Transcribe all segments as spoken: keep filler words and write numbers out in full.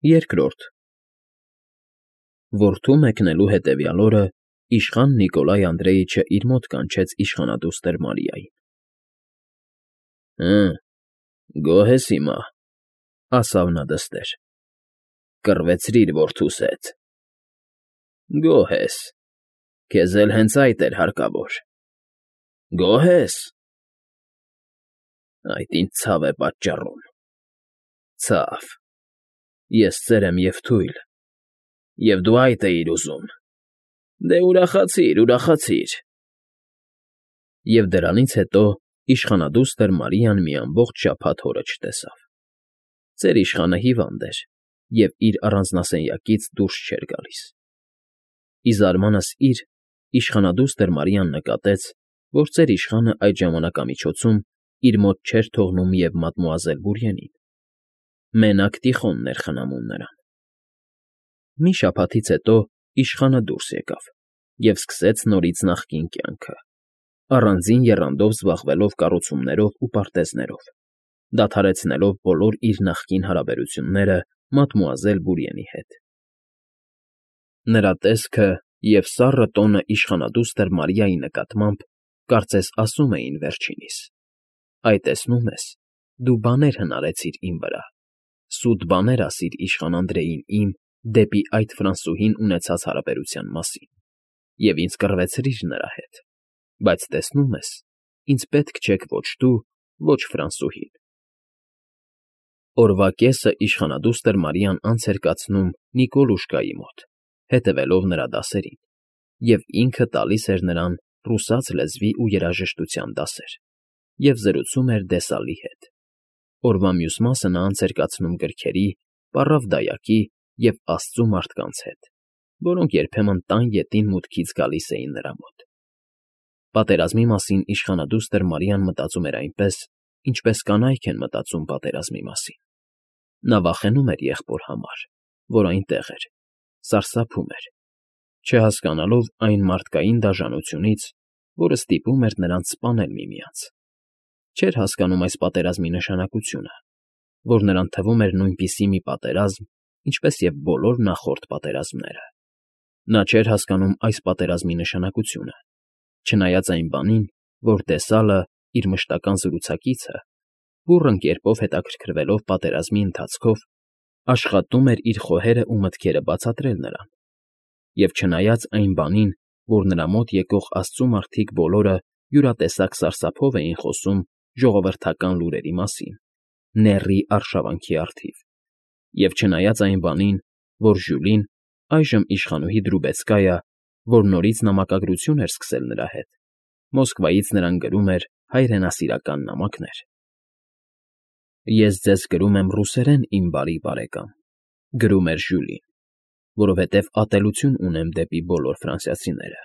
Երկրորդ Որդու մեկնելու հետևյալ օրը իշխան Նիկոլայ Անդրեիչը իր մոտ կանչեց իշխանադուստր Մարիային։ ֊ Հը, գոհ ես հիմա,֊ ասավ նա դստեր,֊ կռվեցրիր որդուս հետ։ ֊ Գոհ ես, քեզ էլ հենց այդ էր հարկավոր։ ֊ Գոհ ես։ ֊ Այդ ինձ ցավ է պատճառում։ ֊ Ցավ, ես ծեր եմ և թույլ, և դու այդ էիր ուզում։ Դե ուրախացիր, ուրախացիր… Եվ դրանից հետո իշխանադուստր Մարիան մի ամբողջ շաբաթ հորը չտեսավ։ Ծեր իշխանը հիվանդ էր և իր առանձնասենյակից դուրս չէր գալիս։ Ի զարմանս իր, իշխանադուստր Մարիան նկատեց, որ ծեր իշխանը այդ ժամանակամիջոցում իր մոտ չէր թողնում և մադմուազել Բուրիենին. մենակ Տիխոնն էր խնամում նրան։ Մի շաբաթից հետո իշխանը դուրս եկավ և սկսեց նորից նախկին կյանքը, առանձին եռանդով զբաղվելով կառուցումներով ու պարտեզներով, դադարեցնելով բոլոր իր նախկին հարաբերությունները մադմուազել Բուրիենի հետ։ Նրա տեսքը և սառը տոնը իշխանադուստր Մարիայի նկատմամբ կարծես ասում էին վերջինիս. «Այ տեսնում ես, դու բաներ հնարեցիր իմ վրա, սուտ բաներ ասիր իշխան Անդրեին իմ դեպի այդ Ֆրանսուհին ունեցած հարաբերության մասին և ինձ կռվեցրիր նրա հետ, բայց տեսնում ես, ինձ պետք չեք ոչ դու, ոչ Ֆրանսուհին»։ Օրվա կեսը իշխանադուստր Մարիան անց էր կացնում Նիկոլուշկայի մոտ, հետևելով նրա դասերին, և ինքը տալիս էր նրան ռուսաց լեզվի ու երաժշտության դասեր և զրուցում էր Դեսալի հետ։ Օրվա մյուս մասը նա անց էր կացնում գրքերի, պառավդայակի և աստծու մարդկանց հետ, որոնք երբեմն տան ետին մուտքից գալիս էին նրա մոտ։ Պատերազմի մասին իշխանադուստր Մարիան մտածում էր այնպես, ինչպես կանայք են մտածում պատերազմի մասին։ Նա վախենում էր եղբոր համար, որ այնտեղ էր, սարսափում էր, չհասկանալով այն մարդկային դաժանությունից, որը ստիպում էր նրանց սպանել միմյանց։ Չէր հասկանում այս պատերազմի նշանակությունը, որ նրան թվում էր նույնպիսի մի պատերազմ, ինչպես և բոլոր նախորդ պատերազմները։ Նա չէր հասկանում այս պատերազմի նշանակությունը, չնայած այն բանին, որ Դեսալը, իր մշտական զրուցակիցը, բուռն կերպով հետաքրքրվելով պատերազմի ընթացքով, աշխատում էր իր խոհերն ու մտքերը բացատրել նրան, և չնայած այն բանին, որ նրա մոտ եկող աստծու մարդիկ բոլորը յուրատեսակ սարսափով էին խոսում ժողովրդական լուրերի մասին, նեռի արշավանքի առթիվ, և չնայած այն բանին, որ Ժյուլին, այժմ իշխանուհի Դրուբեցկայա, որ նորից նամակագրություն էր սկսել նրա հետ, Մոսկվայից նրան գրում էր հայրենասիրական նամակներ։ «Ես ձեզ գրում եմ ռուսերեն, իմ բարի բարեկամ,֊ գրում էր Ժյուլին,֊ որովհետև ատելություն ունեմ դեպի բոլոր ֆրանսիացիները,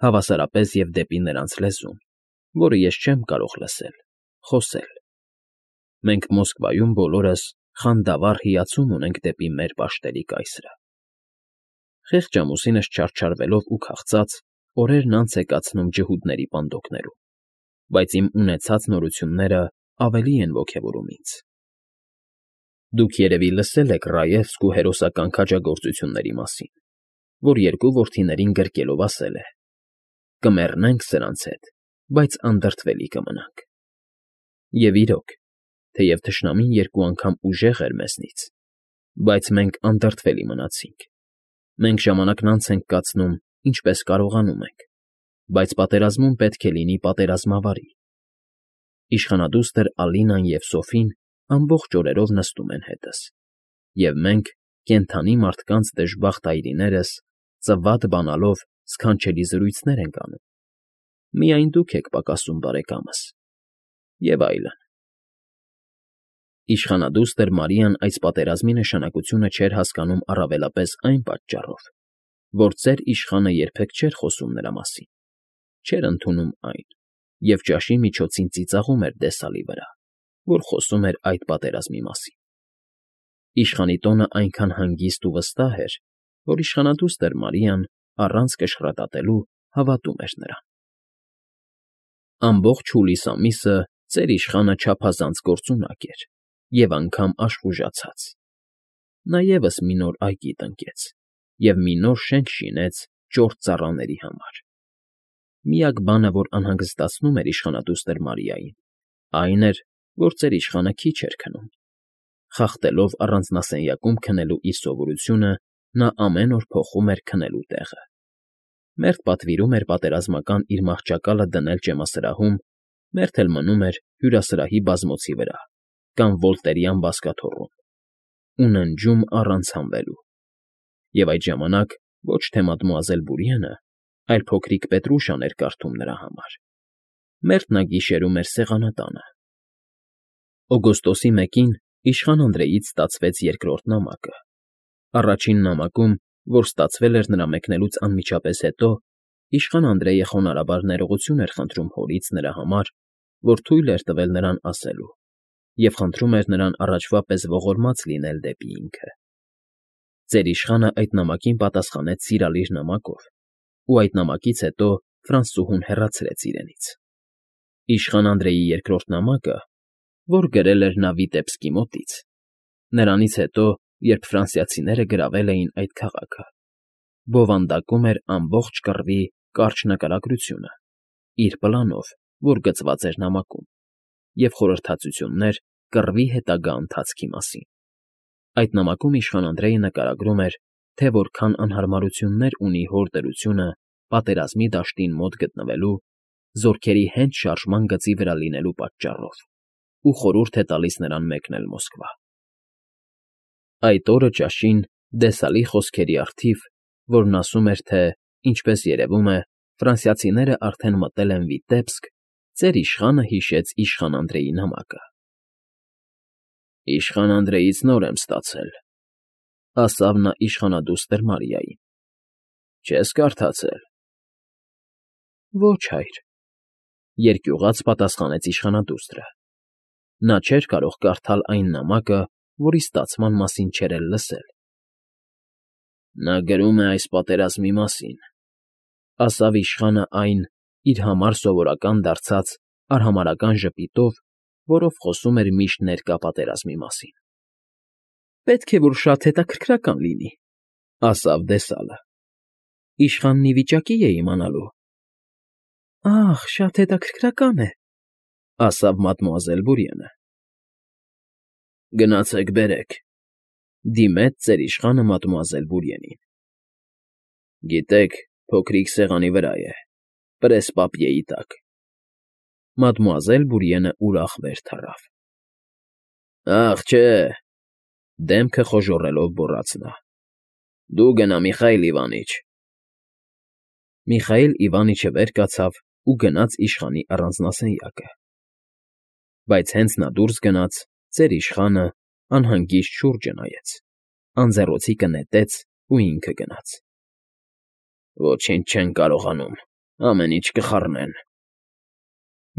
հավասարապես և դեպի նրանց լեզուն, որը ես չեմ կարող լսել, խոսել։ Մենք Մոսկվայում բոլորս խանդավառ հիացում ունենք դեպի մեր պաշտելի կայսրը։ Խեղճ ամուսինս չարչարվելով ու քաղցած, օրերն անց է կացնում ջհուդների պանդոկներում, բայց իմ ունեցած նորությունները ավելի են ոգևորում ինձ։ Դուք երևի լսել եք Ռաևսկու հերոսական քաջագործությունների մասին, որ երկու որդիներին գրկելով ասել է. «Կմեռնենք սրանց հետ, բայց անդրդվելի կմնանք»։ Եվ իրոք, թեև թշնամին երկու անգամ ուժեղ էր մեզնից, բայց մենք անդրդվելի մնացինք։ Մենք ժամանակն անց ենք կացնում, ինչպես կարողանում ենք, բայց պատերազմում պետք է լինի պատերազմավարի։ Իշխանադուստր Ալինան և Սոֆին ամբողջ օրերով նստում են հետս, և մենք, կենդանի մարդկանց դժբախտ այրիներս, ծվատ բանալով սքանչելի զրույցներ ենք անում։ Միայն դուք եք պակասում, բարեկամս… Եվ այլն։ Իշխանադուստր Մարիան այս պատերազմի նշանակությունը չէր հասկանում առավելապես այն պատճառով, որ ծեր իշխանը երբեք չէր խոսում նրա մասին, չէր ընդունում այն և ճաշի միջոցին ծիծաղում էր Դեսալի վրա, որ խոսում էր այդ պատերազմի մասին։ Իշխանի տոնը այնքան հանգիստ ու վստահ էր, որ իշխանադուստր Մարիան, առանց կշռատատելու, հավատում էր նրան։ Ամբողջ հուլիս ամիսը ծեր իշխանը չափազանց գործունակ էր և անգամ աշխուժացած։ նա ևս մի նոր այգի տնկեց և մի նոր շենք շինեց ճորտ ծառաների համար։ Միակ բանը, որ անհանգստացնում էր իշխանադուստր Մարիային, այն էր, որ ծերիշխանը քիչ էր քնում։ Խախտելով առանձնասենյակում քնելու իր սովորությունը, նա ամեն օր փոխում էր քնելու տեղը։ Մերթ պատվիրում էր պատերազմական իր մահճակալը դնել ջեմասրահում, մերթ էլ մնում էր հյուրասրահի բազմոցի վրա կամ վոլտերյան բազկաթոռում ու ննջում առանց հանվելու։ Եվ այդ ժամանակ ոչ թե մադմուազել Բուրիենը, այլ փոքրիկ Պետրուշան էր կարդում նրա համար, մերթ նա գիշերում էր սեղանատանը։ Օգոստոսի մեկին իշխան Անդրեից ստացվեց երկրորդ նամակը։ Առաջին նամակում, որ ստացվել էր նրա մեկնելուց անմիջապես հետո, իշխան Անդրեյը խոնարհաբար ներողություն էր խնդրում հորից նրա համար, որ թույլ էր տվել նրան ասելու, և խնդրում էր նրան առաջվա պես ողորմած լինել դեպի ինքը։ Ծերիշխանը այդ նամակին պատասխանեց սիրալիր նամակով, ու այդ նամակից հետո Ֆրանսուհուն հեռացրեց իրենից։ Իշխան Անդրեյի երկրորդ նամակը, որ գրել էր նա Վիտեբսկի մոտից, նրանից հետո, երբ ֆրանսիացիները գրավել էին այդ քաղաքը, բովանդակում էր ամբողջ կռվի կարճ նկարագրությունը, իր պլանով, որ գծված էր նամակում, և խորհրդածություններ կռվի հետագա ընթացքի մասին։ Այդ նամակում իշխան Անդրեյը նկարագրում էր, թե որքան անհարմարություններ ունի հոր դրությունը պատերազմի դաշտին մոտ գտնվելու, զորքերի հենց շարժման գծի վրա լինելու պատճառով, ու խորհուրդ է տալիս նրան մեկնել Մոսկվա։ Այդ օրը ճաշին Դեսալի խոսքերի առթիվ, որն ասում էր, թե, ինչպես երևում է, ֆրանսիացիները արդեն մտել են Վիտեբսկ, ծերիշխանը հիշեց իշխան Անդրեյի նամակը։ «Իշխան Անդրեից նոր եմ ստացել,֊ ասավ նա իշխանադուստր Մարիային,֊ չես կարդացե՞լ»։ Ոչ, հայր,֊ երկյուղած պատասխանեց իշխանադուստրը։ Նա չէր կարող կարդալ այն նամակը, որի ստացման մասին չէր էլ լսել։ Նա գրում է այս պատերազմի մասին,֊ ասավ իշխանը այն, իր համար սովորական դարձած արհամարհական ժպիտով, որով խոսում էր միշտ ներկա պատերազմի մասին։ Պետք է, որ շատ հետաքրքրական լինի,֊ ասավ Դեսալը։ Իշխանն ի վիճակի է իմանալու։ Ահ, շատ հետաքրքրական է,֊ ասավ մադմուազել Բուրիենը։ Գնացեք բերեք,֊ դիմեց ծերիշխանը մադմուազել Բուրիենին։ Գիտեք, փոքրիկ սեղանի վրա է, պրեսպապիեի տակ։ Մադմուազել Բուրիենը ուրախ վեր թռավ։ Ախ, չէ,֊ դեմքը խոժոռելով գոռաց նա,֊ դու գնա, Միխայիլ Իվանիչ։ Միխայիլ Իվանիչը վեր կացավ ու գնաց իշխանի առանձնասենյակը։ Բայց հենց նա դուրս գնաց, ծերիշխանը անհանգիստ շուրջը նայեց, անձեռոցիկը նետեց ու ինքը գնաց։ Ոչինչ չեն կարողանում, ամեն ինչ կխառնեն։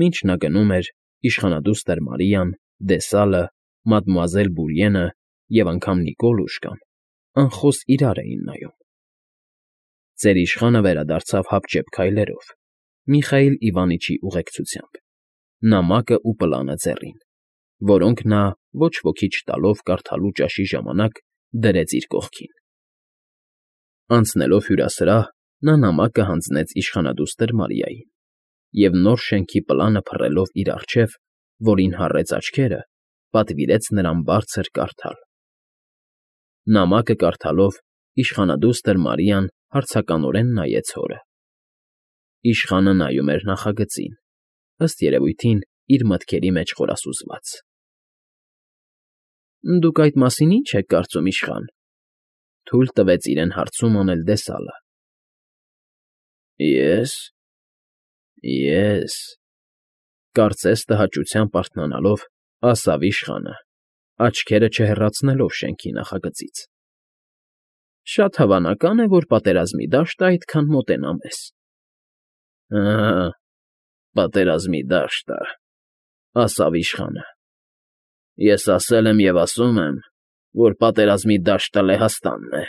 Մինչ նա գնում էր, իշխանադուստր Մարիան, Դեսալը, մադմուազել Բուրիենը և անգամ Նիկոլուշկան անխոս իրար էին նայում։ Ծերիշխանը վերադարձավ հապճեպ քայլերով, Միխայիլ Իվանիչի ուղեկցությամբ, նամակը ու պլանը ձեռին, որոնք նա ոչ ոքի չտալով կարդալու ճաշի ժամանակ դրեց իր կողքին։ Անցնելով հյուրասրահ, նա նամակը հանձնեց իշխանադուստր Մարիային և նոր շենքի պլանը փռելով իր առջև, որին հառեց աչքերը, պատվիրեց նրան բարձր կարդալ։ Նամակը կարդալով իշխանադուստր Մարիան հարցականորեն նայեց հորը։ Իշխանը նայում էր նախագծին, ըստ երևույթին իր մտքերի մեջ խորասուզված։ Դուք այդ մասին ի՞նչ եք կարծում, իշխան,֊ թույլ տվեց իրեն հարցում անել Դեսալը։ Ես… Ես…֊ կարծես տհաճությամբ արթնանալով, ասավ իշխանը, աչքերը չհեռացնելով շենքի նախագծից։ Շատ հավանական է, որ պատերազմի դաշտը այդքան մոտենա մեզ։ Ահա, պատերազմի դաշտը,֊ ասավ իշխանը։ Ես ասել եմ և ասում եմ, որ պատերազմի դաշտը Լեհաստանն է,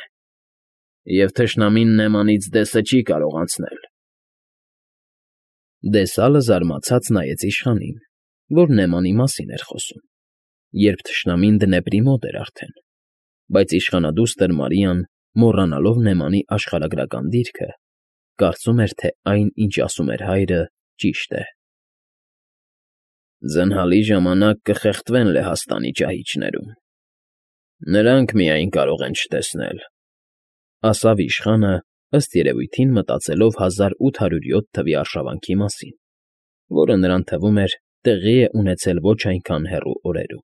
և թշնամին Նեմանից դեսը չի կարող անցնել։ Դեսալը զարմացած նայեց իշխանին, որ Նեմանի մասին էր խոսում, երբ թշնամին Դնեպրի մոտ էր արդեն։ Բայց իշխանադուստր Մարիան, մոռանալով Նեմանի աշխարհագրական դիրքը, կարծում էր, թե այն, ինչ ասում էր հայրը, ճիշտ է։ «Ձնհալի ժամանակ կխեղդվեն Լեհաստանի ճահիճներում, նրանք միայն կարող են չտեսնել», ֊ ասավ իշխանը, ըստ երևույթին մտածելով հազար ութ հարյուր յոթ թվականի արշավանքի մասին, որը նրան թվում էր տեղի է ունեցել ոչ այնքան հեռու օրերում։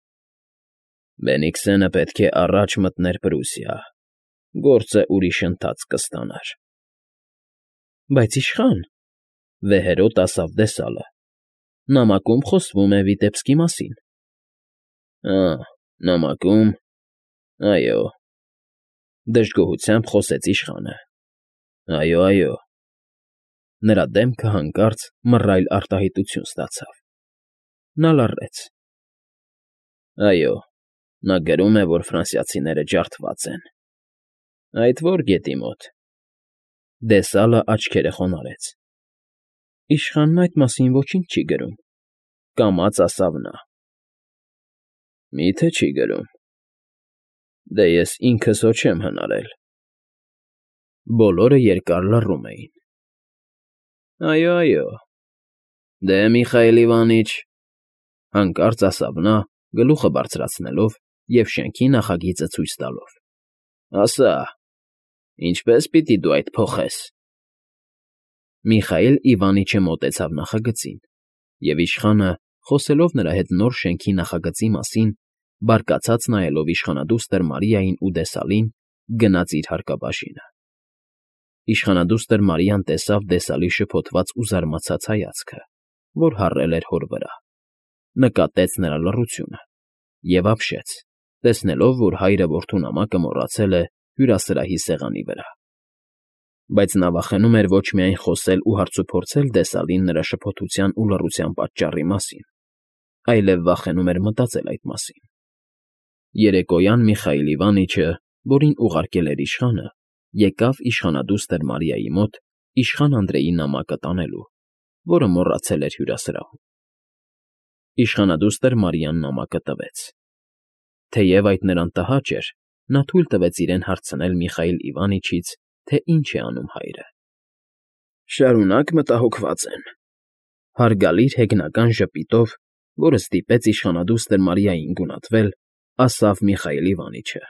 «Բենիքսենը պետք է առաջ մտներ Պրուսիա, գործը ուրիշ ընթացք կստանար»։ «Բայց իշխան,֊ վեհերոտ ասավ դեսալը,֊ նամակում խոսվում է Վիտեբսկի մասին»։ «Ա՜, նամակում… Այո,֊ դժգոհությամբ խոսեց իշխանը։֊ Այո, այո…» Նրա դեմքը հանկարծ մռայլ արտահայտություն ստացավ։ Նա լռեց։ «Այո, նա գրում է, որ ֆրանսիացիները ջարդված են»։ «Այդ ո՞ր գետի մոտ»։ Դեսալը աչքերը խոնարհեց։ «Իշխանն այդ մասին ոչինչ չի գրում,֊ կամաց ասավ նա։ «Մի՞թե չի գրում։ Դե ես ինքս հո չեմ հնարել»։ Բոլորը երկար լռում էին։ «Այո, այո… Դե, Միխայիլ Իվանիչ,֊ հանկարծ ասավ նա, գլուխը բարձրացնելով և շենքի նախագիծը ցույց տալով,֊ ասա, ինչպե՞ս պիտի դու այդ փոխես»։ Միխայիլ Իվանիչը մոտեցավ նախագծին, և իշխանը, խոսելով նրա հետ նոր շենքի նախագծի մասին, բարկացած նայելով իշխանադուստր Մարիային ու դեսալին, գնաց իր հարկաբաժինը։ Իշխանադուստր Մարիան տեսավ դեսալի շփոթված ու զարմացած հայացքը, որ հառել էր հոր վրա, նկատեց նրա լռությունը և ապշեց, տեսնելով, որ հայրը որդու նամակը մոռացել է հյուրասրահի սեղանի վրա։ Բայց նա վախենում էր ոչ միայն խոսել ու հարցուփորձել դեսալին նրա շփոթության ու լռության պատճառի մասին, այլև վախենում էր մտածել այդ մասին։ Երեկոյան Միխայիլ Իվանիչը, որին ուղարկել էր իշխանը, եկավ իշխանադուստր Մարիայի մոտ իշխան Անդրեի նամակը տանելու, որը մոռացել էր հյուրասրահում։ Իշխանադուստր Մարիան նամակը տվեց։ Թեև այդ նրան տհաճ էր, նա թույլ տվեց իրեն հարցնել Միխայիլ Իվանիչից, թե ինչ է անում հայրը։ «Շարունակ մտահոգված են,֊ հարգալից հեգնական ժպիտով, որը ստիպեց իշխանադուստր Մարիային գունատվել, ասավ Միխայիլ Իվանիչը։֊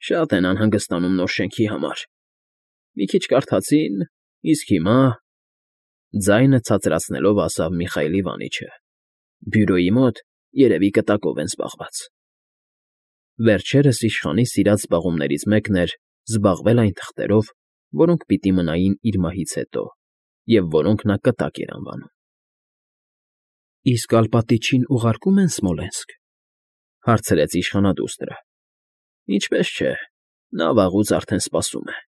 Շատ են անհանգստանում նոր շենքի համար։ Մի քիչ կարդացին, իսկ հիմա…» ձայնը ցածրացնելով ասավ Միխայիլ Իվանիչը,֊ բյուրոյի մոտ, երևի, կտակով են զբաղված։ Վերջերս իշխանի սիրած զբաղումներից մեկն էր զբաղվել այն թղթերով, որոնք պիտի մնային իր մահից հետո և որոնք նա կտակ էր անվանում։ «Իսկ Ալպատիչին ուղարկում են Սմոլենսկ,֊ հարցրեց իշխանադուստրը։ «Ինչպես չէ, նա վաղուց արդեն սպասում է»։